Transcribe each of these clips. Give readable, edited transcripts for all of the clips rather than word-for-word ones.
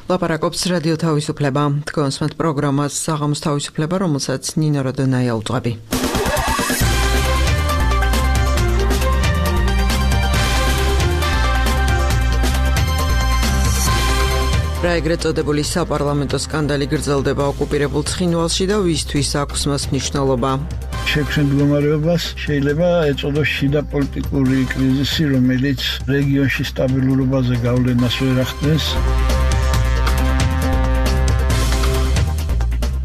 ლაპარაკობს რადიო თავისუფლება. თქვენს პროგრამას საღამოს თავისუფლება, რომელსაც ნინო როდონაია უძღვები. რა ეგრეთ წოდებული საპარლამენტო სკანდალი გრძელდება ოკუპირებულ ცხინვალში და ვისთვის აქვს მას მნიშვნელობა? შექმნილ მდგომარეობას შეიძლება ეწოდოს შიდა პოლიტიკური კრიზისი, რომელიც რეგიონში სტაბილურობაზე გავლენას ვერ ახდენს.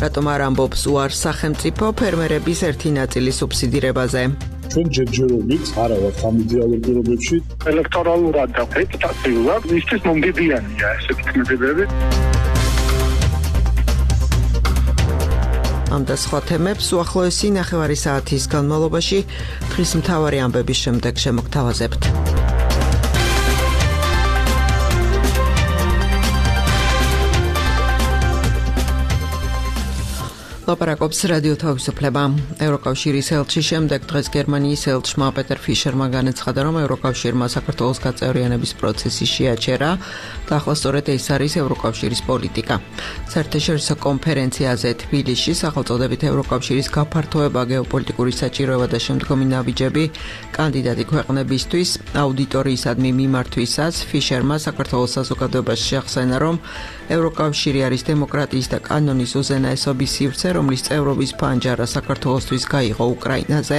რატომ არ ამბობს უარს სახელმწიფო ფერმერების ერთი ნაწილის სუბსიდირებაზე? ჩვენ ჯერჯერობით არა ვართ ამ დიალოგურობებში. ელექტორალურად და რეპუტაციულად ისიც მომგებიანია ესეთი ქმედებები. ამ და სხვა თემებს უახლოესი ნახევარი საათის განმავლობაში დღის მთავარი ამბების შემდეგ შემოგთავაზებთ. ლაპარაკობს რადიო თავისუფლება. ევროკავშირის ელჩის შემდეგ დღეს გერმანიის ელჩმა პეტერ ფიშერმა განაცხადა, რომ ევროკავშირმა საქართველოს გაწევრიანების პროცესი შეაჩერა და ახლა სწორედ ეს არის ევროკავშირის პოლიტიკა. საერთაშორისო კონფერენციაზე თბილისში სახელწოდებით ევროკავშირის გაფართოება, გეოპოლიტიკური საჭიროება და შემდგომი ნაბიჯები კანდიდატი ქვეყნებისთვის აუდიტორიისადმი მიმართვისას ფიშერმა საქართველოს საზოგადოებაში შეახსენა, რომ ევროკავშირი არის დემოკრატიის და კანონის უზენაესობის სივრცე, რომლის წევრობის ფანჯარა საქართველოსთვის გაიღო უკრაინაზე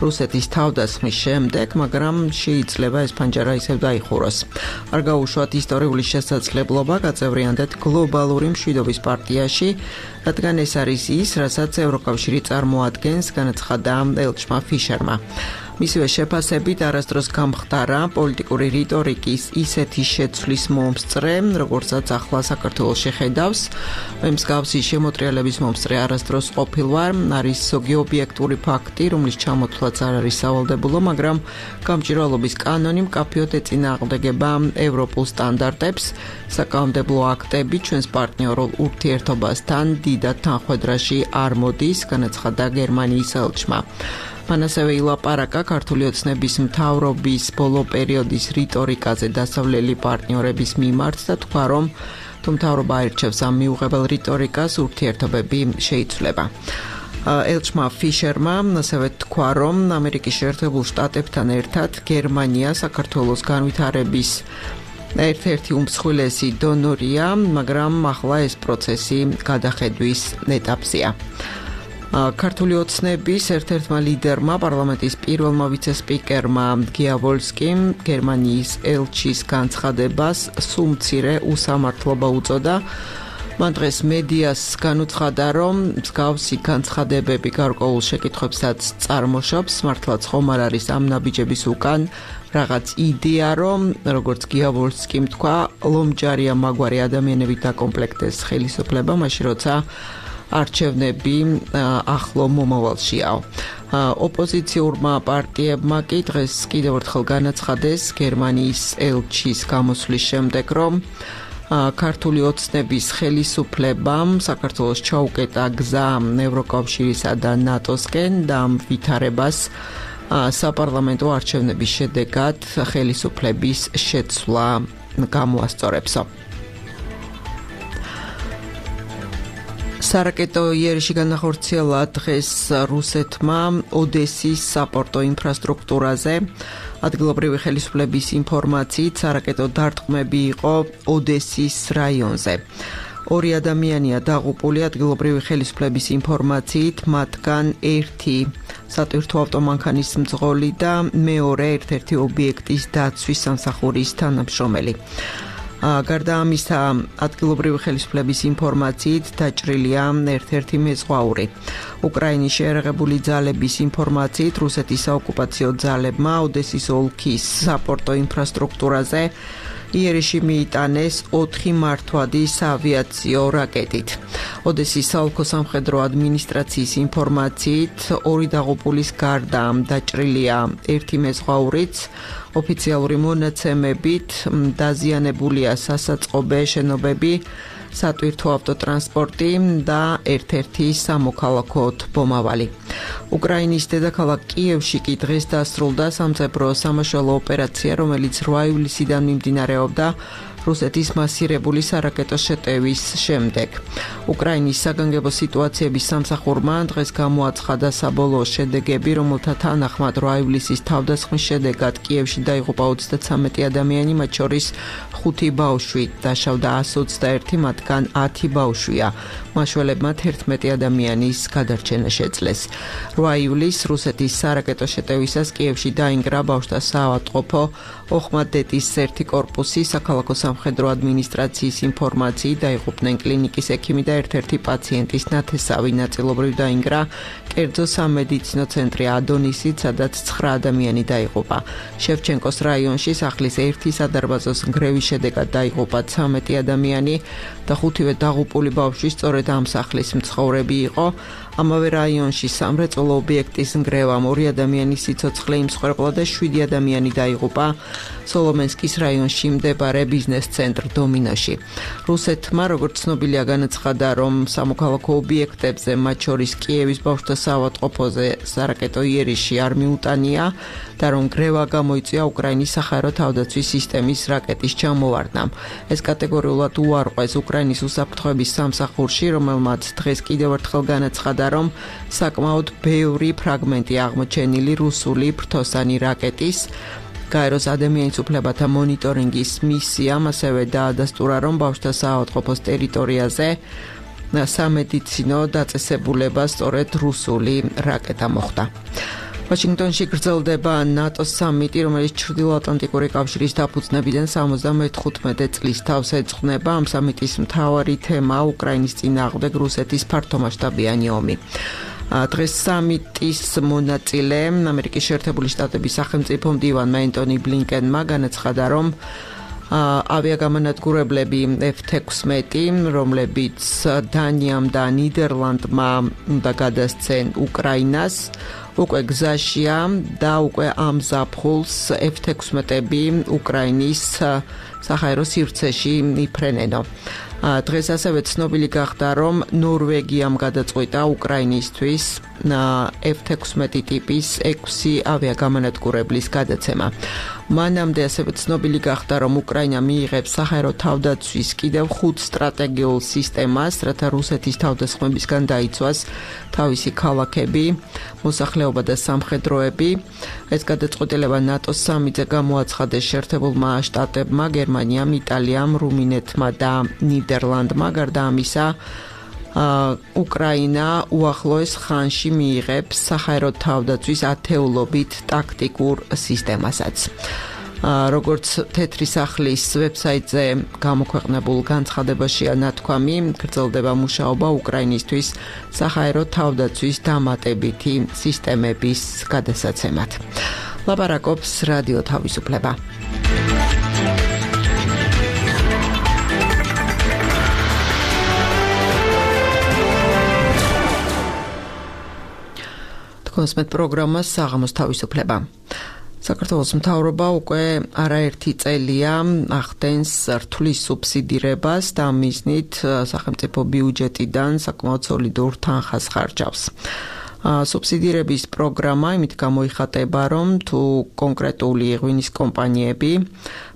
რუსეთის თავდასხმის შემდეგ, მაგრამ შეიძლება ეს ფანჯარა ისევ დაიხუროს. არ გაუშვათ ისტორიული შესაძლებლობა გაწევრიანდეთ გლობალური მშვიდობის პარტიაში, რადგან ეს არის ის, რასაც ევროკავშირი წარმოადგენს, განაცხადა ელჩმა ფიშერმა. მისივე შეფასებით არასდროს გამხდარა პოლიტიკური რიტორიკის ისეთი შეცვლის მომსწრე, როგორცაც ახლა საქართველოს შეხედავს. მსგავსი შემოტრიალების მომსწრე არასდროს ყოფილვარ, არის ზოგი ობიექტური ფაქტი, რომლის ჩამოთვლაც არ არის სავალდებულო, მაგრამ გამჭირვალობის კანონი მკაფიოდ ეწინააღმდეგება ევროპულ სტანდარტებს. საკანონმდებლო აქტები ჩვენს პარტნიორულ ურთიერთობასთან დიდად თანხვედრაში არ მოდის, განაცხადა გერმანიის ელჩმა. მან ასევე ილაპარაკა ქართული ოცნების მთავრობის ბოლო პერიოდის რიტორიკაზე დასავლელი პარტნიორების მიმართ და თქვა, რომ თუ მთავრობა აირჩევს ამ მიუღებელ რიტორიკას, ურთიერთობები შეიცვლება. ელჩმა ფიშერმა ასევე თქვა, რომ ამერიკის შეერთებულ შტატებთან ერთად გერმანია საქართველოს განვითარების ერთ-ერთი უმსხვილესი დონორია, მაგრამ ახლა ეს პროცესი გადახედვის ეტაპზეა. ქართული ოცნების ერთ-ერთმა ლიდერმა, პარლამენტის პირველმა ვიცე-სპიკერმა გიავოლსკიმ გერმანიის ელჩის განცხადებას სუმცირე უსამართლობა უწოდა. მან დღეს მედიას განუცხადა, რომ მსგავსი განცხადებები გარკვეულ შეკითხვებსაც წარმოშობს, მართლაც ხომ არ არის ამ ნაბიჯების უკან რაღაც იდეა, რომ როგორც გიავოლსკიმ თქვა, ლომჯარია მაგვარი ადამიანებით დაკომპლექტდეს ხელისუფლება, მაშინ როცა არჩევნები ახლო მომავალშიაო. ოპოზიციურმა პარტიებმა კი დღეს კიდევ ერთხელ განაცხადეს გერმანიის ელჩის გამოსვლის შემდეგ, რომ ქართული ოცნების ხელისუფლებამ საქართველოს ჩაუკეტა გზა ევროკავშირისა და ნატოსკენ და ამ ვითარებას საპარლამენტო არჩევნების შედეგად ხელისუფლების შეცვლა გამოასწორებსო. სარაკეტო იერიში განახორციელა დღეს რუსეთმა ოდესის საპორტო ინფრასტრუქტურაზე. ადგილობრივი ხელისუფლების ინფორმაციით სარაკეტო დარტყმები იყო ოდესის რაიონზე. 2 ადამიანია დაღუპული ადგილობრივი ხელისუფლების ინფორმაციით, მათგან ერთი სატვირთო ავტომანქანის მძღოლი და მეორე ერთ-ერთი ობიექტის დაცვის სამსახურის თანამშრომელი. გარდა ამისა, ადგილობრივი ხელისუფლების ინფორმაციით დაჭრილია ერთ-ერთი მეზღვაური. უკრაინის შეერაღებული ძალების ინფორმაციით, რუსეთის საოკუპაციო ძალებმა ოდესის ოლქის საპორტო ინფრასტრუქტურაზე იერიში მიიტანეს 4 მართვადი საავიაციო რაკეტით. ოდესის საოლქო სამხედრო ადმინისტრაციის ინფორმაციით, 2 დაღუპულის გარდა დაჭრილია ერთი მეზღვაურიც. ოფიციალური მონაცემებით დაზიანებულია სასაწყობე შენობები, სატვირთო ავტოტრანსპორტი და ერთ-ერთი სამოქალაქო მომავალი. უკრაინის დედაქალაქ კიევში კი დღეს დასრულდა სამწებრო სამაშველო ოპერაცია, რომელიც 8 ივლისიდან მიმდინარეობდა რუსეთის მასირებული სარაკეტო შეტევის შემდეგ. უკრაინის საგანგებო სიტუაციების სამსახურმა დღეს გამოაცხადა საბოლოო შედეგები, რომელთა თანახმად 8 ივლისის თავდასხმის შედეგად კიევში დაიღუპა 33 ადამიანი, მათ შორის 5 ბავშვი, დაშავდა 121, მათგან 10 ბავშვია. მაშველებმა 11 ადამიანის გადარჩენა შეძლეს. 8 ივლისს რუსეთის სარაკეტო შეტევისას კიევში დაინგრა ბავშვთა საავადმყოფო ოხმადეთის 1 კორპუსი, საქალაქო სამხედრო ადმინისტრაციის ინფორმაციით დაიღუპნენ კლინიკის ექიმი და ერთ-ერთი პაციენტის ნათესავი, ნაწილობრივ დაინგრა კერძო სამედიცინო ცენტრი ადონისით, სადაც 9 ადამიანი დაიღუპა. შევჩენკოს რაიონში სახლის ერთი სადარბაზოს ნგრევის შედეგად დაიღუპა 13 ადამიანი და 5-ვე დაღუპული ბავშვი სწორედ ამ სახლის მცხოვრები იყო. ამავე რაიონში სამრეწველო ობიექტის ნგრევამ 2 ადამიანის სიცოცხლე იმსხვერპლა და 7 ადამიანი დაიღუპა სოლომენსკის რაიონში მდებარე ბიზნეს ცენტრ დომინოში. რუსეთმა, როგორც ცნობილია, განაცხადა, რომ სამოქალაქო ობიექტებზე, მათ შორის კიევის ბავშვთა საავადმყოფოზე სარაკეტო იერიში არ მიუტანია და რომ ნგრევა გამოიწვია უკრაინის საჰაერო თავდაცვის სისტემის რაკეტის ჩამოვარდნამ. ეს კატეგორიულად უარყვეს უკრაინის უსაფრთხოების სამსახურში, რომელმაც დღეს კიდევ ერთხელ განაცხადა, რომ საკმაოდ ბევრი ფრაგმენტი აღმოჩენილი რუსული ფრთოსანი რაკეტის. გაეროს ადამიანის უფლებათა მონიტორინგის მისიამ ასევე დაადასტურა, რომ ბავშვთა საავადმყოფოს ტერიტორიაზე სამედიცინო დაწესებულება სწორედ რუსული რაკეტა მოხდა. ვაშინგტონში გრძელდება ნატოს სამიტი, რომელიც ჩრდილოატლანტიკური კავშირის დაფუძნებიდან 75 წლის თავს ეძღვნება. ამ სამიტის მთავარი თემაა უკრაინის წინააღმდეგ რუსეთის ფართომასშტაბიანი ომი. დღეს სამიტის მონაწილე ამერიკის შეერთებული შტატების სახელმწიფო მდივანმა ენტონი ბლინკენმა განაცხადა, რომ ავიაგამანადგურებლები F-16, რომლებიც დანიამ და ნიდერლანდმა უნდა გადასცენ უკრაინას, უკვე გზაშია და უკვე ამ ზაფხულს F-16-ები უკრაინის საჰაერო სივრცეში იფრენენო. დღეს ასევე ცნობილი გახდა, რომ ნორვეგიამ გადაწყვიტა უკრაინისთვის F-16 ტიპის 6 ავიაგამანადგურებლის გადაცემა. მანამდე ასევე ცნობილი გახდა, რომ უკრაინა მიიღებს საჰაერო თავდაცვის კიდევ 5 სტრატეგიულ სისტემას, რათა რუსეთის თავდასხმებისგან დაიცვას თავისი ქალაქები, მოსახლეობა და სამხედროები. ეს გადაწყვეტილება ნატოს სამიტზე გამოაცხადეს შეერთებულმა შტატებმა, გერმანიამ, იტალიამ, რუმინეთმა და ნიდერლანდმა. გარდა ამისა, უკრაინა უახლოეს ხანში მიიღებს საჰაერო თავდაცვის ათეულობით ტაქტიკურ სისტემასაც. როგორც თეთრი სახლის ვებსაიტზე გამოქვეყნებულ განცხადებაშია ნათქვამი, გრძელდება მუშაობა უკრაინისთვის საჰაერო თავდაცვის დამატებითი სისტემების გადასაცემად. ლაპარაკობს რადიო თავისუფლება. კონსმეთ პროგრამა საღამოს თავისუფლება. საქართველოს მთავრობა უკვე არაერთი წელია ახდენს რთulis სუბსიდირებას და მიზნით სახელმწიფო ბიუჯეტიდან საკმაოდ სოლიდურ თანხას ხარჯავს. სუბსიდირების პროგრამა იმით გამოიხატება, რომ თუ კონკრეტული ღვინის კომპანიები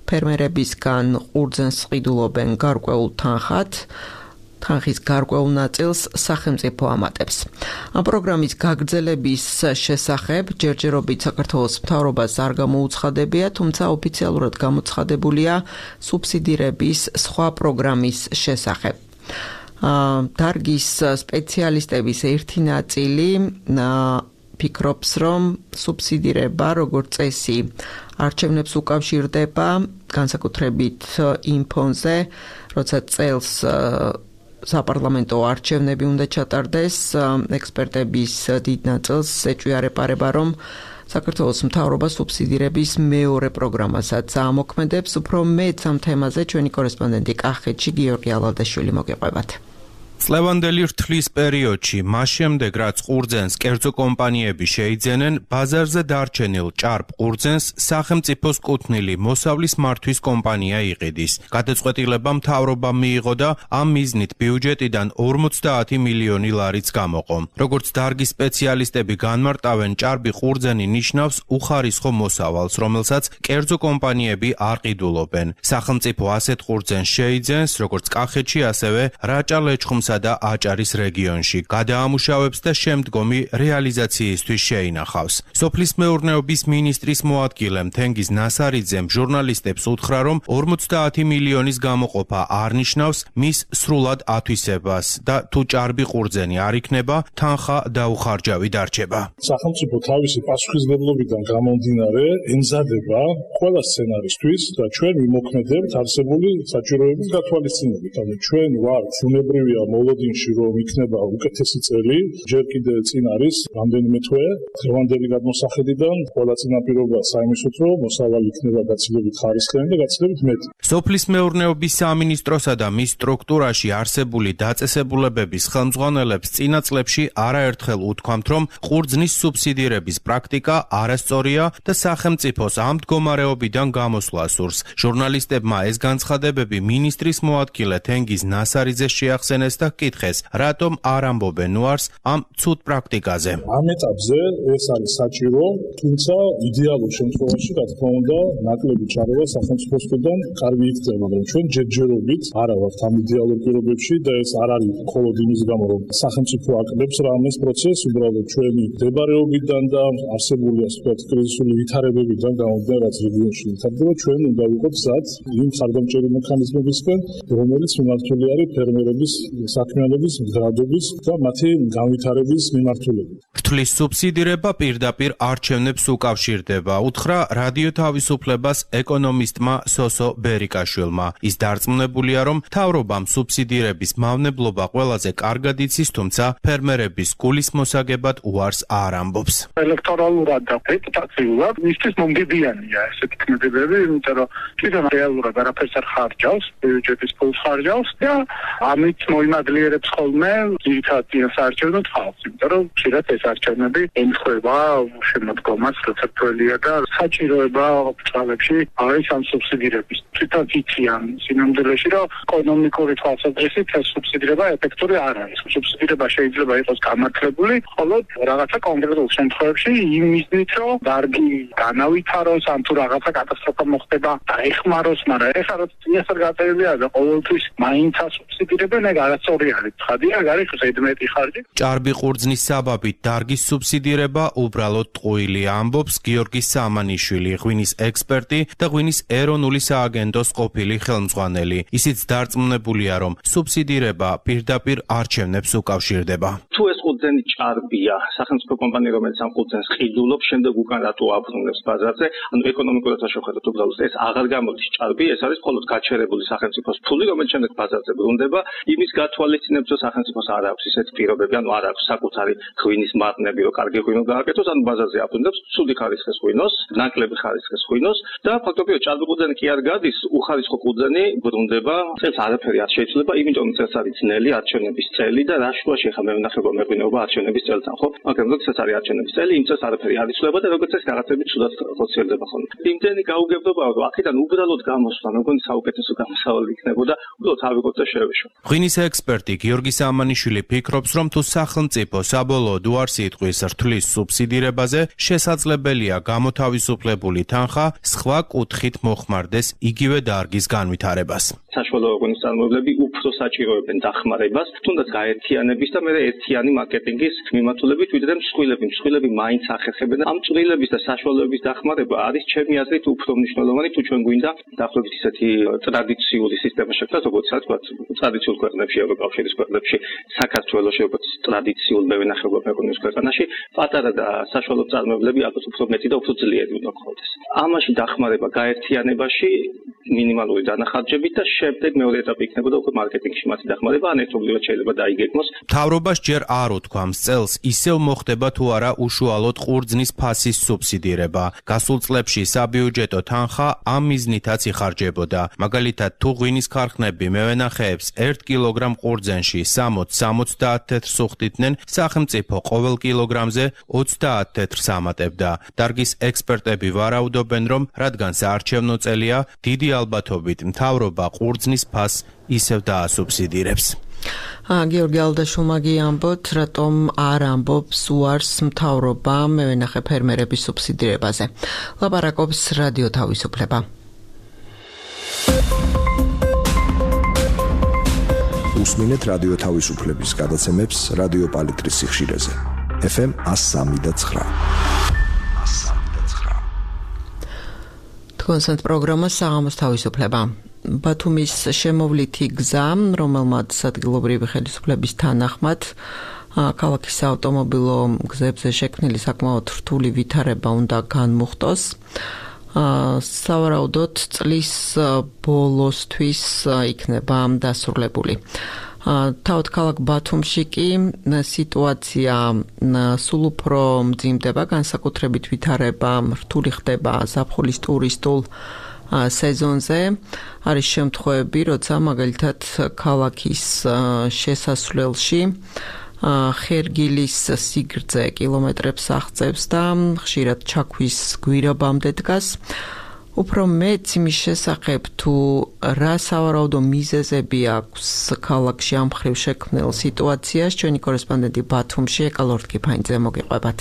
ფერმერებისგან ყურძენს ყიდულობენ გარკვეულ თანხად, თანხის გარკვეულ ნაწილს სახელმწიფო ამატებს. ამ პროგრამის გაგრძელების შესახებ ჯერჯერობით საქართველოს მთავრობას არ გამოუცხადებია, თუმცა ოფიციალურად გამოცხადებულია სუბსიდირების სხვა პროგრამის შესახებ. დარგის სპეციალისტების ერთი ნაწილი ფიქრობს, რომ სუბსიდირება როგორც წესი არჩევნებს უკავშირდება, განსაკუთრებით იმ ფონზე, როცა წელს საპარლამენტო არჩევნები უნდა ჩატარდეს, ექსპერტების დიდ ნაწილს ეჭვიარება, რომ საქართველოს მთავრობა სუბსიდირების მეორე პროგრამასაც ამოქმედებს. უფრო მეტ ამ თემაზე ჩვენი კორესპონდენტი კახეთში გიორგი ალალდაშვილი მოგეყვებათ. წლევანდელი რთლის პერიოდში, მას შემდეგ, რაც ყურძენს კერძო კომპანიები შეიძენენ, ბაზარზე დარჩენილ ჭარბ ყურძენს სახელმწიფოს კუთვნილი მოსავლის მართვის კომპანია იყიდის. გადაწყვეტილება მთავრობამ მიიღო და ამ მიზნით ბიუჯეტიდან 50 მილიონი ლარიც გამოყო. როგორც დარგის სპეციალისტები განმარტავენ, ჭარბი ყურძენი ნიშნავს უხარისხო მოსავალს, რომელსაც კერძო კომპანიები არ ყიდულობენ. სახელმწიფო ასეთ ყურძენს შეიძენს, როგორც კახეთში, ასევე რაჭა-ლეჩხუმსა და აჭარის რეგიონში. გადაამუშავებს და შემდგომი რეალიზაციისთვის შეინახავს. სოფლის მეურნეობის მინისტრის მოადგილე თენგიზ ნასარიძემ ჟურნალისტებს უთხრა, რომ 50 მილიონის გამოყოფა არ ნიშნავს მის სრულად ათვისებას და თუ ჭარბი ყურძენი არ იქნება, თანხა დაუხარჯავი დარჩება. სახელმწიფო თავისი პასუხისმგებლობიდან გამომდინარე ემზადება ყველა სცენარისთვის და ჩვენ ვიმოქმედებთ არსებული საჭიროების გათვალისწინებით. ანუ ჩვენ ვართ უნებრივია მოლოდინში, რომ იქნება უკეთესი წელი, ჯერ კიდევ წინ არის რამდენიმე თვე, დღევანდელი გადმოსახედიდან ყველა წინაპირობა საიმისოთ, რომ მოსავალი იქნება გაცილებით ხარისხიანი და გაცილებით მეტი. სოფლის მეურნეობის სამინისტროსა და მის სტრუქტურაში არსებული დაწესებულებების ხელმძღვანელებს წინა წლებში არაერთხელ უთქვამთ, რომ ყურძნის სუბსიდირების პრაქტიკა არასწორია და სახელმწიფოს ამ მდგომარეობიდან გამოსვლა სურს. ჟურნალისტებმა ეს განცხადებები მინისტრის მოადგილე თენგიზ ნასარიძეს შეახსენეს და კითხეს, რატომ არ ამბობენ უარს ამ ცუდ პრაქტიკაზე. ამ ეტაპზე ეს არის საჭირო, თუმცა იდეალურ შემთხვევაში, რა თქმა უნდა, ნაკლები ჩარევა სახელმწიფოსგან კარგი იქნება, მაგრამ ჩვენ ჯერჯერობით არა ვართ ამ იდეალურ პირობებში და ეს არ არის მხოლოდ იმის გამო, რომ სახელმწიფო აკეთებს რამეს პროცესს, უბრალოდ ჩვენი მდებარეობიდან და არსებული ასე ვთქვათ კრიზისული ვითარებებიდან გამომდინარე, რაც რეგიონში ვითარდება, ჩვენ უნდა ვიყოთ გზად იმ ხარდამჭერი მექანიზმებისგან, რომელიც მიმართული არის ფერმერების საქმიანობის მდგრადობის და მათი განვითარების მიმართულებით. რთლის სუბსიდირება პირდაპირ არჩევნებს უკავშირდება, უთხრა რადიო თავისუფლებას ეკონომისტმა სოსო ბერიკაშვილმა. ის დარწმუნებულია, რომ მთავრობამ სუბსიდირების მავნებლობა ყველაზე კარგად იცის, თუმცა ფერმერების გულის მოსაგებად უარს არ ამბობს. ელექტორალურად და რეპუტაციულად მისთვის მომგებიანია ესეთი ქმედებები, იმიტომ რომ კიდევ რეალურად არაფერს არ ხარჯავს, ბიუჯეტის ფულს ხარჯავს და ამით მოიმადლიერებს ხოლმე ძირითადად საარჩევნო ხალხს, იმიტომ რომ ხშირად ეს არჩევნები ემთხვევა შემოდგომას, როცა თველია და საჭიროება წლებში არის ამ სუბსიდირების. თვითონ იციან სინამდვილეში, რომ ეკონომიკური თვალსაზრისით ეს სუბსიდირება ეფექტური არ არის. სუბსიდირება შეიძლება იყოს გამართლებული, ხოლო რაღაცა კონკრეტულ შემთხვევებში იმ მიზნით, რომ დარგი განავითაროს, ან თუ რაღაცა კატასტროფა მოხდება, დაეხმაროს, მაგრამ ეხლა რო წინასწარ გაწერილია და ყოველთვის მაინც ასუბსიდირებენ, ეგ არასწორი არის. ცხადია, ეგ არის ზედმეტი ხარჯი. ჭარბი ყურძნის საბაბით დარგის სუბსიდირება უბრალოდ ტყუილია, ამბობს გიორგი სამანიშვილი, ღვინის ექსპერტი და ღვინის ეროვნული სააგენტოს ყოფილი ხელმძღვანელი. ისიც დარწმუნებულია, რომ სუბსიდირება პირდაპირ არჩევნებს უკავშირდება. თუ ეს ყურძენი ჭარბია, სახელმწიფო კომპანია, რომელიც ამ ყურძენს ყიდულობს, შემდეგ უკან რატო აბრუნებს ბაზარზე, ანუ ეკონომიკურად შევხედოთ, უბრალოდ ეს აღარ გამოდის ჭარბი, ეს არის მხოლოდ გაჩერებული სახელმწიფოს ფული, რომელიც შემდეგ ბაზარზე ბრუნდება, იმის გათვალისწინებს, რომ სახელმწიფოს არ აქვს ისეთ პირობები, ანუ არ აქვს საკუთარი ღვინის მარნები, რომ კარგი ღვინო გააკეთოს, ანუ ბაზარზე აბრუნებს ცუდი ხარისხის ღვინოს, ნაკლები ხარისხის ღვინოს და ფაქტობრივად ჭარბი ყურძენი კი არ გადის, უხარისხო ყურძენი ბრუნდება, წელს არაფერი არ შეიძლება, იმიტომ წელს არის ძნელი არჩევნების წელი და რა შუაში ხა მევენახეობა მეღვინეობა არჩევნების წელთან, ხო? მაგრამ როდესაც არის არჩევნების წელი, იმ წელს არაფერი არ იცვლება და როგორც ეს რაღაცები ცუდად ხოციერდება ხოლმე. იმდენი გაუგებრობაა, რომ აქედან უბრალოდ გამოსვლა, მეგონი საუკეთესო გამოსავალი იქნებოდა, უბრალოდ ავიღოთ და შევეშვა. ღვინის ექსპერტი გიორგი სამანიშვილი ფიქრობს, რომ თუ სახელმწიფო საბოლოოდ უარს იტყვის რთლის სუბსიდირებაზე, შესაძლებელია გამოთავისუფლებული თანხა სხვა კუთხით მოხმარდეს იგივე დარგის განვითარებას. საშუალო ღვინის წარმოებლები უფრო საჭიროებენ დახმარებას, თუნდაც გაერთიანების და მერე ერთიანი მარკეტინგის მიმართულებით, ვიდრე მსხვილები მაინც ახერხებენ. ამ წვრილების და საშუალებების დახმარება არის ჩემი აზრით უფრო მნიშვნელოვანი, თუ ჩვენ გვინდა დაახლოებით ისეთი ტრადიციული სისტემა შექმნას, როგორც თქვა, ტრადიციულ ქვეყნებში, ევროკავშირის ქვეყნებში, საქართველოში, როგორც ტრადიციულ მევენახეობა მეღვინეობის ქვეყანაში, პატარა და საშუალო წარმოებლები ალბათ უფრო მეტი და უფრო ძლიერი უნდა გქონდეს. ამაში დახმარება გაერთიანებაში მინიმალური დანახარჯებით და შემდეგ მეორე ეტაპი იქნებოდა უკვე მარკეტინგში მათი დახმარება, ან ერთობლივად შეიძლება დაიგეგმოს. მთავრობას ჯერ არ უთქვამს წელს ისევ მოხდება თუ არა უშუალოდ ყურძნის ფასის სუბსიდირება. გასულ წლებში საბიუჯეტო თანხა ამ მიზნითაც იხარჯებოდა. მაგალითად, თუ ღვინის ქარხნები მევენახეებს 1 კილოგრამ ყურძენში 60-70 თეთრს უხდიდნენ, სახელმწიფო ყოველ კილოგრამზე 30 თეთრს ამატებდა. დარგის ექსპერტები ვარაუდობენ, რომ რადგან საარჩევნო წელია, დიდი ალბათობით მთავრობა ყურძნის ფასს ისევ დაასუბსიდირებს. გიორგი ალდაშულმა გიამბოთ, რატომ არ ამბობს უარს მთავრობა მევენახე ფერმერების სუბსიდირებაზე. ლაპარაკობს რადიო თავისუფლება. უსმინეთ რადიო თავისუფლების გადაცემებს რადიო პალიტრის სიხშირეზე. FM 103.9. კონსერტ პროგრამა საღამოს თავისუფლება. ბათუმის შემოვლითი გზა, რომელმაც ადგილობრივი ხელისუფლების თანახმად ქალაქის ავტომობილო გზებზე შექმნილი საკმაოდ რთული ვითარება უნდა განმუხტოს. სავარაუდოდ წლის ბოლოსთვის იქნება დასრულებული. თავად ქალაქ ბათუმში კი სიტუაცია სულ უფრო მძიმდება, განსაკუთრებით ვითარება რთული ხდება ზაფხულის ტურისტულ სეზონზე. არის შემთხვევები, როცა მაგალითად ქალაქის შესასვლელში ხერგილის სიგრძე კილომეტრებს აღწევს და ხშირად ჩაქვის გვირაბამდე დგას. უფრო მეც იმის შესახებ, თუ რა სავარაუდო მიზეზები აქვს ქალაქში ამ მხრივ შექმნილ სიტუაციას, ჩვენი კორესპონდენტი ბათუმში ეკალორთკიფაინძე მოგიყვებათ.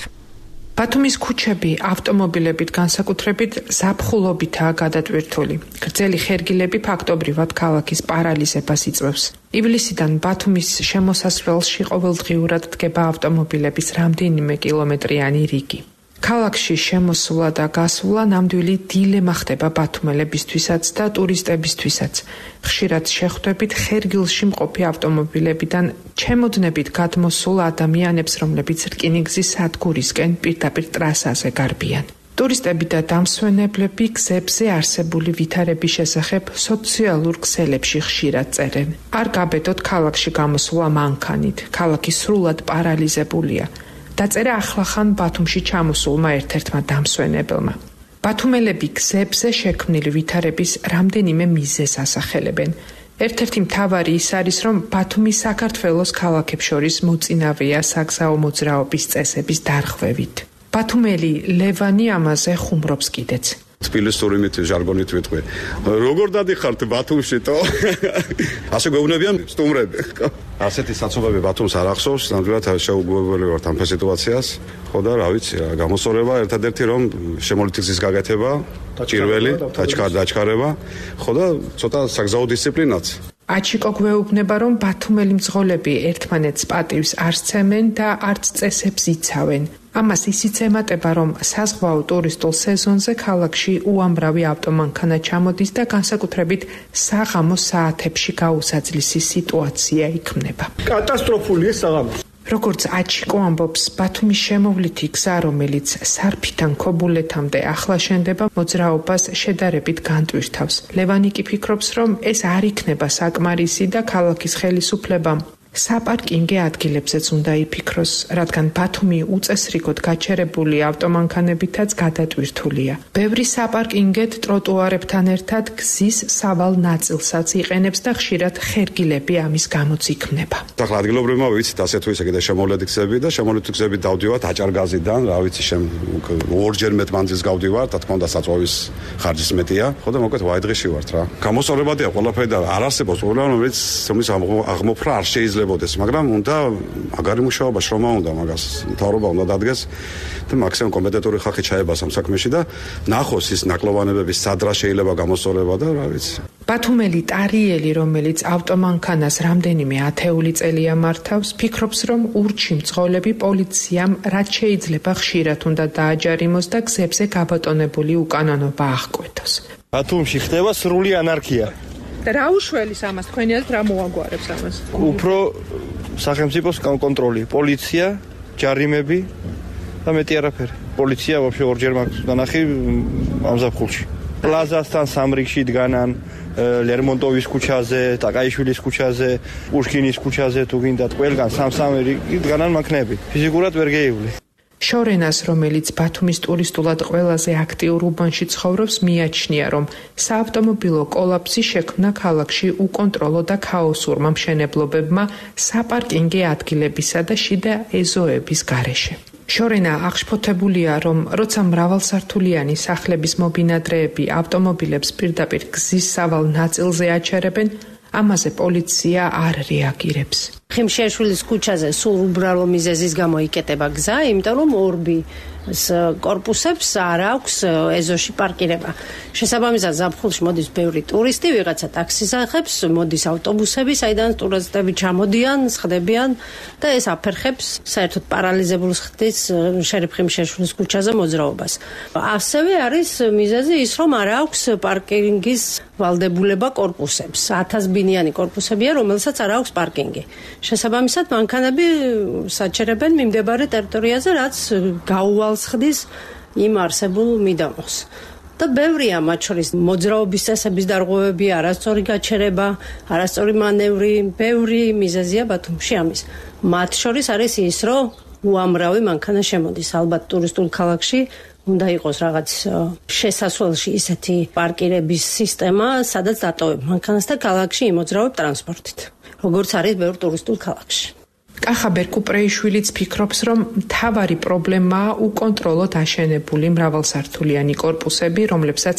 ბათუმის ქუჩები ავტომობილებით განსაკუთრებით ზაფხულობითაა გადატვირთული. გრძელი ხერგილები ფაქტობრივად ქალაქის პარალიზებას იწვევს. ივლისიდან ბათუმის შემოსასვლელში ყოველდღიურად დგება ავტომობილების რამდენიმე კილომეტრიანი რიგი. ქალაქში შემოსვლა და გასვლა ნამდვილი დილემა ხდება ბათუმელებისთვისაც და ტურისტებისთვისაც. ხშირად შეხვდებით ხერგილში მყოფი ავტომობილებიდან ჩემოდნებით გადმოსულ ადამიანებს, რომლებიც რკინიგზის სადგურისკენ პირდაპირ ტრასაზე გარბიან. ტურისტები და დამსვენებლები გზებზე არსებული ვითარების შესახებ სოციალურ ქსელებში ხშირად წერენ. არ გაბედოთ ქალაქში გამოსვლა მანქანით, ქალაქი სრულად პარალიზებულია. დაწერა ახლახან ბათუმში ჩამოსულმა ერთ-ერთმა დამსვენებელმა. ბათუმელები გზებზე შექმნილი ვითარების რამდენიმე მიზეზს ასახელებენ. ერთ-ერთი მთავარი ის არის, რომ ბათუმი საქართველოს ქალაქებს შორის მოწინავეა საგზაო მოძრაობის წესების დარღვევით. ბათუმელი ლევანი ამაზე ხუმრობს კიდეც. თბილისური ჟარგონით ვიტყვი. როგორ დადიხართ ბათუმში თო? ასე გვეუბნებიან სტუმრები. ასეთი საცობები ბათუმს არ ახსოვს, ნამდვილად შეუგუებელი ვართ ამ სიტუაციას. ხო და რა ვიცი, გამოსწორება ერთადერთი რომ შემოვლითი გზის გაკეთება, პირველი დაჩქარება, ხო და ცოტა საგზაო დისციპლინაც. აჩიკო გვეუბნება, რომ ბათუმელი მძღოლები ერთმანეთს პატივს არ სცემენ და არც წესებს იცავენ. ამას ისიც ემატება, რომ საზღვაო ტურისტულ სეზონზე ქალაქში უამრავი ავტომანქანა ჩამოდის და განსაკუთრებით საღამოს საათებში გაუსაძლისი სიტუაცია იქმნება. კატასტროფულია საღამოს. როგორც აჩიკო ამბობს, ბათუმის შემოვლითი გზა, რომელიც სარფიდან ქობულეთამდე ახლა შენდება, მოძრაობას შედარებით განტვირთავს. ლევანი კი ფიქრობს, რომ ეს არ იქნება საკმარისი და ქალაქის ხელისუფლებამ საპარკინგე ადგილებზეც უნდა იფიქროს, რადგან ბათუმი უწესრიგოდ გაჩერებული ავტომანქანებითაც გადატვირთულია. ბევრი საპარკინგეთ ტროტუარებთან ერთად გზის სავალ ნაწილსაც იყენებს და ხშირად ხერგილები ამის გამოც იქმნება. ახლა ადგილობრივმა ვიცით ასე თუ ისე კიდე შემოვლითი გზები და შემოვლითი გზები დავდივართ აჭარგაზიდან, რა ვიცი, ორჯერ მეტ მანძილს გავდივართ, რა თქმა უნდა საწვავის ხარჯის მეტია. ხო და მოკლედ ვაიდღიში ვართ რა. გამოსწორებადია ყველაფერი და არ არსებობს პრობლემა, რომელიც თუმის აღმოფხვრა არ შეიძლება მაგრამ უნდა მაგარი მუშაობა შრომა უნდა მაგას მთავრობა უნდა დადგეს და მაქსიმუმ კომპეტენტური ხალხი ჩაებას ამ საქმეში და ნახოს ის ნაკლოვანებების სადრა შეიძლება გამოსწორება და რა ვიცი. ბათუმელი ტარიელი, რომელიც ავტომანქანას რამდენიმე ათეული წელია მართავს, ფიქრობს, რომ ურჩი მძღოლები პოლიციამ რაც შეიძლება ხშირად უნდა დააჯარიმოს და გზებზე გაბატონებული უკანონობა აღკვეთოს. ბათუმში ხდება სრული ანარქია. რა უშველის ამას, თქვენიათ რა მოაგვარებს ამას? უფრო სახელმწიფოს კონტროლი, პოლიცია, ჯარიმები და მეტი არაფერი. პოლიცია ვაფშე ორჯერ მაქვს დანახი ამ ზაფხულში. პლაზასთან სამრიგში დგანან, ლერმონტოვის ქუჩაზე, ტაკაიშვილის ქუჩაზე, პუშკინის ქუჩაზე თუ გინდათ, ყველგან სამ-სამი რიგი დგანან მანქანები. ფიზიკურად ვერ გეივლი. შორენას, რომელიც ბათუმის ტურისტულად ყველაზე აქტიურ უბანში ცხოვრობს, მიაჩნია, რომ საავტომობილო კოლაფსი შექმნა ქალაქში უკონტროლო და ქაოსურმა მშენებლობებმა საპარკინგე ადგილებისა და შიდა ეზოების გარეშე. შორენა აღშფოთებულია, რომ როცა მრავალსართულიანი სახლების მომბინადრეები ავტომობილებს პირდაპირ გზის სავალ ნაწილზე აჩერებენ, ამაზე პოლიცია არ რეაგირებს. ხიმშეშვილის ქუჩაზე სულ უბრალო მიზეზის გამო იკეტება გზა, იმიტომ რომ ორბი კორპუსებს არ აქვს ეზოში პარკირება. შესაბამისად, ზაფხულში მოდის ბევრი ტურისტი, ვიღაცა ტაქსის ახებს, მოდის ავტობუსები, საიდან ტურისტები ჩამოდიან, სხდებიან და ეს აფერხებს საერთოდ პარალიზებულს ხდის შერიფ ხიმშეშვილის ქუჩაზე მოძრაობას. ასევე არის მიზეზი ის, რომ არ აქვს პარკინგის ვალდებულება კორპუსებს. 1000 ბინიანი კორპუსებია, რომელსაც არ აქვს პარკინგი. შესაბამისად, მანქანები საჩერებენ მიმდებარე ტერიტორიაზე, რაც გაუვალს ხდის იმ არსებულ მიდამოს. და ბევრია მათ შორის მოძრაობის წესების დარღვევები, არასწორი გაჩერება, არასწორი მანევრი, ბევრი მიზეზია ბათუმში ამის. მათ შორის არის ის, რომ უამრავი მანქანა შემოდის. ალბათ ტურისტულ ქალაქში უნდა იყოს რაღაც შესასვლელში ისეთი პარკირების სისტემა, სადაც დატოვებ მანქანას და ქალაქში იმოძრავებ ტრანსპორტით. როგორც არის ბევრ ტურისტულ ქალაქში. კახაბერ კუპრეიშვილიც ფიქრობს, რომ მთავარი პრობლემაა უკონტროლოდ აშენებული მრავალსართულიანი კორპუსები, რომლებსაც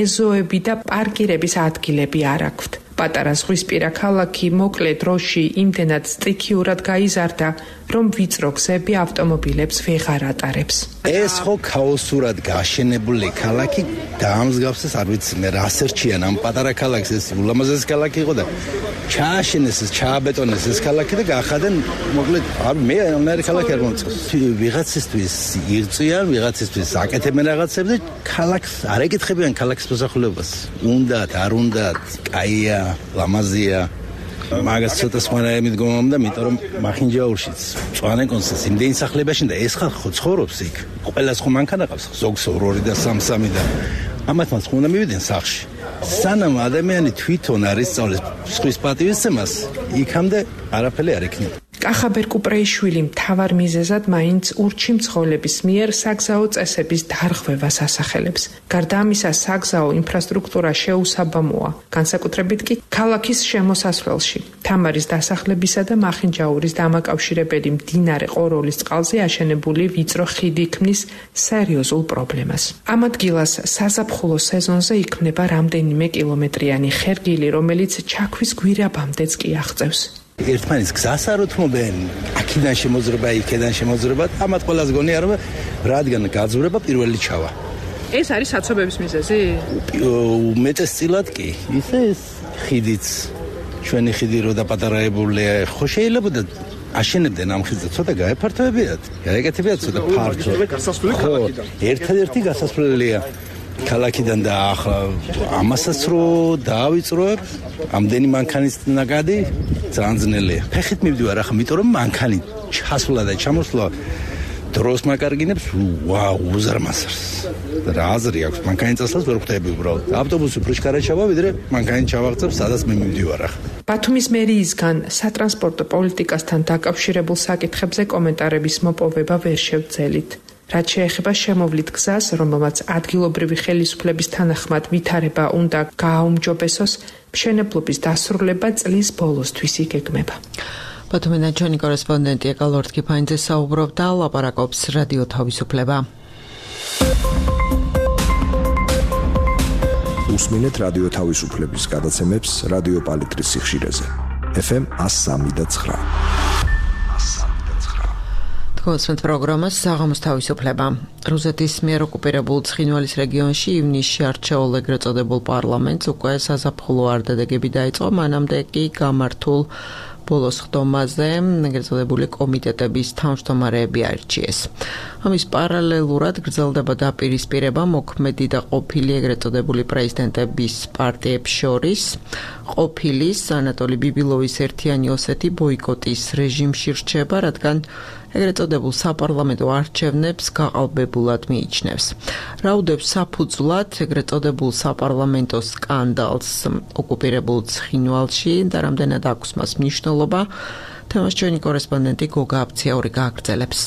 ეზოები და პარკირების ადგილები არ აქვთ. პატარა ზღვისპირა ქალაქი მოკლე დროში იმდენად სტიქიურად გაიზარდა, რომ ვიწრო გზები ავტომობილებს ვეღარ ატარებს. ეს ხო ქაოსურად გაშენებული ქალაქი დაამსგავსეს, არ ვიცი მე რა სერჩიან ამ პატარა ქალაქს, ეს ულამაზესი ქალაქი იყო და ჩააშენეს ეს, ჩააბეტონეს ეს ქალაქი და გაახადენ, მოკლედ, მე ამერი ქალაქი არ მომწონს. ვიღაცისთვის იღწვიან, ვიღაცისთვის აკეთებენ რაღაცებს და ქალაქს არ ეკითხებიან ქალაქის მოსახლეობას. უნდათ, არ უნდათ, კაია, ლამაზია. მაგას ცოტა სხვანაირი მიდგომა, იმიტომ რომ მახინჯაურშიც წვანე კონსეს იმდენი სახლებაში და ეს ხალხი ხო ცხოვრობს იქ. ყველას ხო მანქანა ყავს, ზოგს 2 და 3 და ამათ მას უნდა მივიდნენ სახლში. სანამ ადამიანი თვითონ არ ისწავლეს სხვის პატივისცემას, იქამდე არაფერი არ იქნება. კახაბერ კუპრეიშვილი მთავარ მიზეზად მაინც ურჩი მძღოლების მიერ საგზაო წესების დარღვევას ასახელებს. გარდა ამისა, საგზაო ინფრასტრუქტურა შეუსაბამოა, განსაკუთრებით კი ქალაქის შემოსასვლელში. თამარის დასახლებისა და მახინჯაურის დამაკავშირებელი მდინარე ყოროლის წყალზე აშენებული ვიწრო ხიდი ქმნის სერიოზულ პრობლემას. ამ ადგილას საზაფხულო სეზონზე იქმნება რამდენიმე კილომეტრიანი ხერგილი, რომელიც ჩაქვის გვირაბამდეც კი აღწევს. ერთმანეთს გზას არ უთმობენ, აქედან შემოძრება, იქედან შემოძრება, ამათ ყველას გონია რომ რადგან გაძვრება პირველი ჩავა. ეს არის საცობების მიზეზი? უმეტესწილად კი. ისე ეს ხიდიც, ჩვენი ხიდი რო დაპატარაებულია, ხო შეიძლება და აშენებდნენ ამ ხიდზე, ცოტა გაეფართოებიათ, გაეკეთებიათ ცოტა ფართო. ხო, ერთადერთი გასასვლელია ქალაქიდან და ახლა ამასაც რო დაავიწროებ, ამდენი მანქანის ნაკადი ძალიან ძნელია. ფეხით მივდივარ ახლა, იმიტომ რომ მანქანი ჩასვლა და ჩამოსვლა დროს მაკარგინებს, უზარმაზრს. რა აზრი აქვს, მანქანი წასვლას ვერ ხვდები უბრალოდ. ავტობუსი უფრო შკარა ჩავა, ვიდრე მანქანი ჩავაღწევ, სადაც მე მივდივარ ახლა. ბათუმის მერიისგან სატრანსპორტო პოლიტიკასთან დაკავშირებულ საკითხებზე კომენტარების მოპოვება ვერ შევძელით. რაც შეეხება შემოვლით გზას, რომელმაც ადგილობრივი ხელისუფლების თანახმად ვითარება უნდა გააუმჯობესოს, მშენებლობის დასრულება წლის ბოლოსთვის იგეგმება. ბათუმიდან ჩვენი კორესპონდენტი ეკალორთ კიფაინძე საუბრობდა, ლაპარაკობს რადიო თავისუფლება. უსმინეთ რადიო თავისუფლების გადაცემებს რადიო პალიტრის სიხშირეზე. FM 103.9. გოსმენთ პროგრამას საღამოს თავისუფლება. რუსეთის მიერ ოკუპირებულ ცხინვალის რეგიონში ივნისში არჩეულ ეგრეთ წოდებულ პარლამენტს უკვე საზაფხულო არდადეგები დაიწყო, მანამდე კი გამართულ ბოლოს ხდომაზე ეგრეთ წოდებული კომიტეტების თავმჯდომარეები აირჩიეს. ამის პარალელურად გრძელდება დაპირისპირება მოქმედი და ყოფილი ეგრეთ წოდებული პრეზიდენტების პარტიებს შორის, ყოფილის ანატოლი ბიბილოვის ერთიანი ოსეთი ბოიკოტის რეჟიმში რჩება, რადგან ეგრეთ წოდებულ საპარლამენტო არჩევნებს გაყალბებულად მიიჩნევს. რაუდებს საფუძვლად ეგრეთ წოდებულ საპარლამენტო სკანდალს ოკუპირებულ ცხინვალში და რამდენად აქვს მას მნიშვნელობა, თემას ჩვენი კორესპონდენტი გოგა აბციური გააგრძელებს.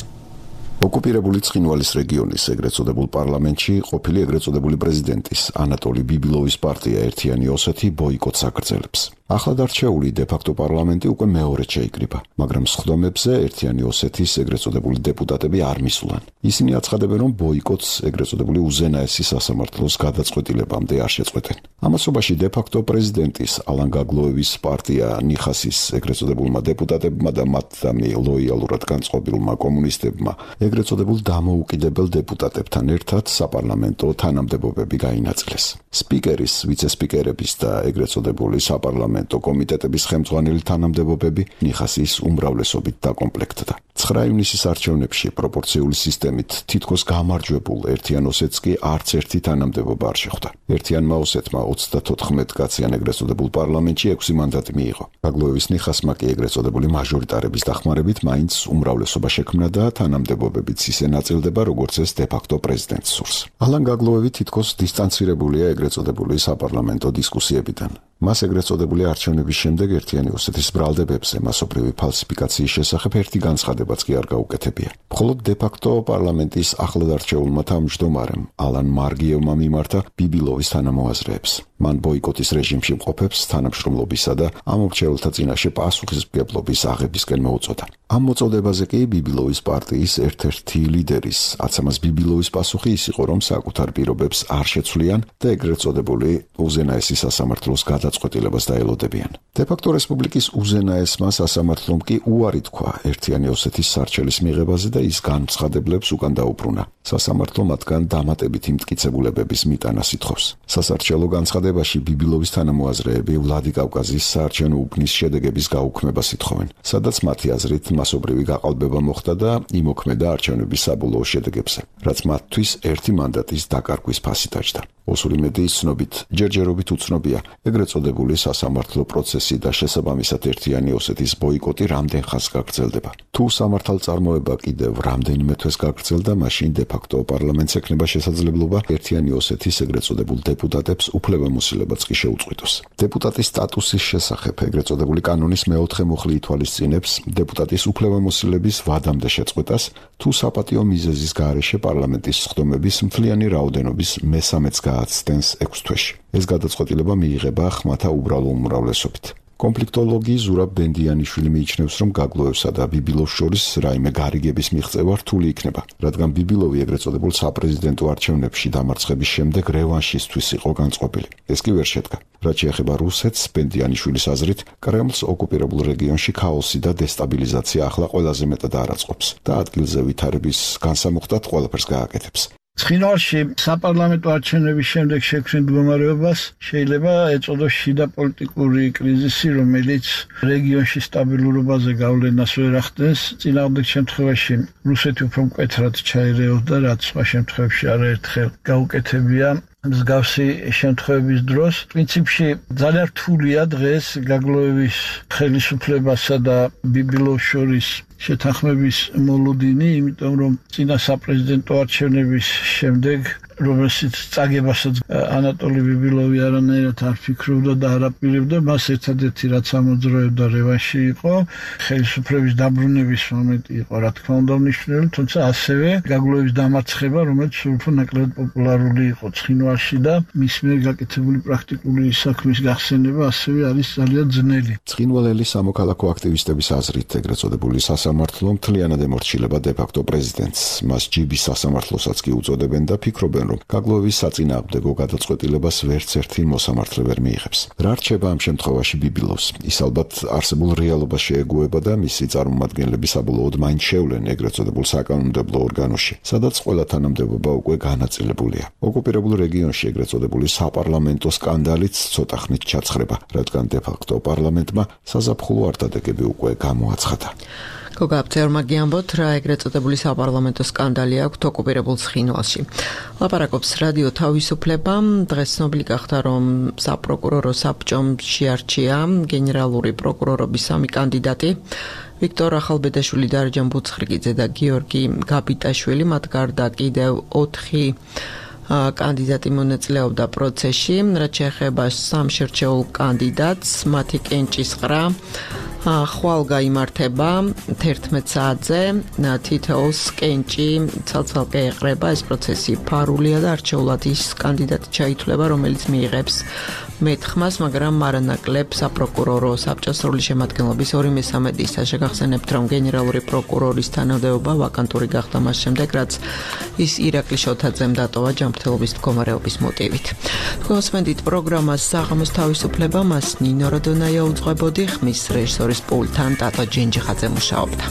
ოკუპირებული ცხინვალის რეგიონის ეგრეთ წოდებულ პარლამენტში ყოფილი ეგრეთ წოდებული პრეზიდენტის ანატოლი ბიბილოვის პარტია ერთიანი ოსეთი ბოიკოტს აგრძელებს. ახლად არჩეული დე-ფაქტო პარლამენტი უკვე მეორედ შეიკრიბა, მაგრამ სხდომებზე ერთიანი ოსეთის ეგრეთ წოდებული დეპუტატები არ მისულან. ისინი აცხადებენ, რომ ბოიკოტს ეგრეთ წოდებული უზენაესი სასამართლოს გადაწყვეტილებამდე არ შეწყვეტენ. ამასობაში დე-ფაქტო პრეზიდენტის ალან გაგლოევის პარტია ნიხასის ეგრეთ წოდებულმა დეპუტატებმა და მათთან ლოიალურად განწყობილმა კომუნისტებმა ეგრეთ წოდებულ დამოუკიდებელ დეპუტატებთან ერთად საპარლამენტო თანამდებობები გაინაწილეს. სპიკერის, ვიცე-სპიკერების და ეგრეთ წოდებული საპარლამენტო კომიტეტების ხელმძღვანელი თანამდებობები ნიხასის უმრავლესობით დაკომპლექტდა. 9 ივნისის არჩევნებში პროპორციული სისტემით თითქოს გამარჯვებულ ერთიან ოსეთს კი არც ერთი თანამდებობა არ შეხვდა. ერთიანმა ოსეთმა 34 კაციან ეგრეთ წოდებულ პარლამენტში 6 მანდატი მიიღო. გაგლოევის ნიხასმა კი ეგრეთ წოდებული მაჟორიტარების დახმარებით მაინც უმრავლესობა შექმნა და თანამდებობებიც ისე ნაწილდება, როგორც ეს დე-ფაქტო პრეზიდენტს სურს. ალან გაგლოევი თითქოს დისტანცირებულია ეგრეთ წოდებული საპარლამენტო დისკუსიებიდან. მას ეგრეთ წოდებული არჩევნების შემდეგ ერთიანი ოსეთის ბრალდებებზე მასობრივი ფალსიფიკაციის შესახებ ერთი განცხადებაც კი არ გაუკეთებია. მხოლოდ დე-ფაქტო პარლამენტის ახლად არჩეულმა თავმჯდომარემ ალან მარგიევმა მიმართა ბიბილოვის თანამოაზრეებს. მან ბოიკოტის რეჟიმში მყოფებს თანამშრომლობისა და ამორჩეულთა წინაშე პასუხისმგებლობის აღებისკენ მოუწოდა. ამ მოწოდებაზე კი ბიბილოვის პარტიის ერთ-ერთი ლიდერის აცამას ბიბილოვის პასუხი ის იყო, რომ საკუთარ პირობებს არ შეცვლიან და ეგრეთ წოდებული უზენაესი სასამართლოს გადაწყვეტილებას დაელოდებიან. დე-ფაქტო რესპუბლიკის უზენაესმა სასამართლომ კი უარი თქვა ერთიანი ოსეთის სარჩელის მიღებაზე და ის განცხადებლებს უკან დაუბრუნა. სასამართლო მათგან დამატებითი მტკიცებულებების მიტანას ითხოვს. სასარჩელო განცხადებაში ბიბილოვის თანამოაზრეები ვლადიკავკაზის საარჩევნო უბნის შედეგების გაუქმებას ითხოვენ, სადაც მათი აზრით მასობრივი გაყალბება მოხდა და იმოქმედა არჩევნების საბოლოო შედეგებზე, რაც მათთვის ერთი მანდატის დაკარგვის ფასი დაჯდა. ოსური მედიის ცნობით, ჯერჯერობით უცნობია ეგრეთ წოდებული სასამართლო პროცესი და შესაბამისად ერთიანი ოსეთის ბოიკოტი რამდენ ხანს გაგრძელდება. თუ სამართალწარმოება კიდევ რამდენიმე თვეს გაგრძელდა, მაშინ დე-ფაქტო პარლამენტს ექნება შესაძლებლობა ერთიანი ოსეთის ეგრეთ წოდებულ დეპუტატებს უფლებამოსილებაც კი შეუწყვიტოს. დეპუტატის სტატუსის შესახებ ეგრეთ წოდებული კანონის მეოთხე მუხლი ითვალისწინებს დეპუტატის უფლებამოსილების ვადამდე შეწყვეტას, თუ საპატიო მიზეზის გარეშე პარლამენტის სხდომების მთლიანი რაოდენობის მესამეც გააცდენს 6 თვეში. ეს გადაწყვეტილება მიიღება ხმათა უბრალო უმრავლესობით. კონფლიქტოლოგი ზურაბ ბენდიანიშვილი მიიჩნევს, რომ გაგლოევსა და ბიბილოვს შორის რაიმე გარიგების მიღწევა რთული იქნება, რადგან ბიბილოვი ეგრეთ წოდებულ საპრეზიდენტო არჩევნებში დამარცხების შემდეგ რევანშისთვის იყო განწყობილი. ეს კი ვერ შედგა. რაც შეეხება რუსეთს, ბენდიანიშვილის აზრით, კრემლს ოკუპირებულ რეგიონში ქაოსი და დესტაბილიზაცია ახლა ყველაზე მეტად არაწყობს და ადგილზე ვითარების განსამუხტად ყველაფერს გააკეთებს. ცხინვალში საპარლამენტო არჩევნების შემდეგ შექმნილ მდგომარეობას შეიძლება ეწოდოს შიდა პოლიტიკური კრიზისი, რომელიც რეგიონში სტაბილურობაზე გავლენას ვერ ახდენს. წინააღმდეგ შემთხვევაში რუსეთი უფრო მკვეთრად ჩაერეოდა, რაც სხვა შემთხვევებში არაერთხელ გაუკეთებია. მსგავსი შემთხვევების დროს პრინციპში ძალიან რთულია დღეს გაგლოევის ხელისუფლებასა და ბიბილოვს შორის შეთანხმების მოლოდინი, იმიტომ რომ წინა საპრეზიდენტო არჩევნების შემდეგ, რომელშიც წაგებასაც ანატოლი ბიბილოვი არანაირად არ ფიქრობდა და არ აპირებდა, მას ერთადერთი რაც ამოძრავებდა რევანში იყო, ხელისუფლების დაბრუნების მომენტი იყო, რა თქმა უნდა მნიშვნელოვანი, თუმცა ასევე გაგლოევის დამარცხება, რომელიც უფრო ნაკლებად პოპულარული იყო ცხინვალში და მის მიერ გაკეთებული პრაქტიკული საქმის გახსენება ასევე არის ძალიან ძნელი. ცხინვალელი სამოქალაქო აქტივისტების აზრით ეგრეთ წოდებული სასამართლო მთლიანად ემორჩილება დე-ფაქტო პრეზიდენტს. მას ჯიბის სასამართლოსაც კი უწოდებენ და ფიქრობენ, რომ გაგლოევის საწინააღმდეგო გადაწყვეტილებას ვერც ერთი მოსამართლე ვერ მიიღებს. რა რჩება ამ შემთხვევაში ბიბილოვს? ის ალბათ არსებულ რეალობას შეეგუება და მისი წარმომადგენლები საბოლოოდ მაინც შევლენ ეგრეთ წოდებულ საკანონმდებლო ორგანოში, სადაც ყველა თანამდებობა უკვე განაწილებულია. ოკუპირებულ რეგიონში ეგრეთ წოდებული საპარლამენტო სკანდალიც ცოტა ხნით ჩაცხრება, რადგან დე-ფაქტო პარლამენტმა საზაფხულო არტადეგები უკვე გამოაცხადა. გოგა აბცეურმა გიამბოთ, რა ეგრეთ წოდებული საპარლამენტო სკანდალი აქვს ოკუპირებულ ცხინვალში. ლაპარაკობთ ლაპარაკობს რადიო თავისუფლება. დღეს ცნობილი გახდა, რომ საპროკურორო საბჭომ შეარჩია გენერალური პროკურორობის 3 კანდიდატი. ვიქტორ ახალბედაშვილი, დარეჯან ბუცხრიკიძე და გიორგი გაბიტაშვილი. მათ გარდა კიდევ 4 კანდიდატი მონაწილეობდა პროცესში, რაც შეეხება 3 შერჩეულ კანდიდატს. მათი კენჭისყრა ხვალ გაიმართება 11 საათზე. თითოეულს კენჭი ცალ-ცალკე ეყრება. ეს პროცესი ფარულია და არჩეულად ის კანდიდატი ჩაითვლება, რომელიც მიიღებს მეტხმას, მაგრამ არანაკლებ საპროკურორო საბჭოს სრული შემადგენლობის 2/3 ისა. შეგახსენებთ, რომ გენერალური პროკურორის თანამდებობა ვაკანტური გახდა მას შემდეგ, რაც ის ირაკლი შოთაძემ დატოვა ჯანმრთელობის მდგომარეობის მოტივით. თქვენსმენდით პროგრამას საღამოს თავისუფლება, მას ნინო როდონაია უძღვებოდი, ხმის რეჟისორის პულტთან ტატო ჯენჯიხაძე მუშაობდა.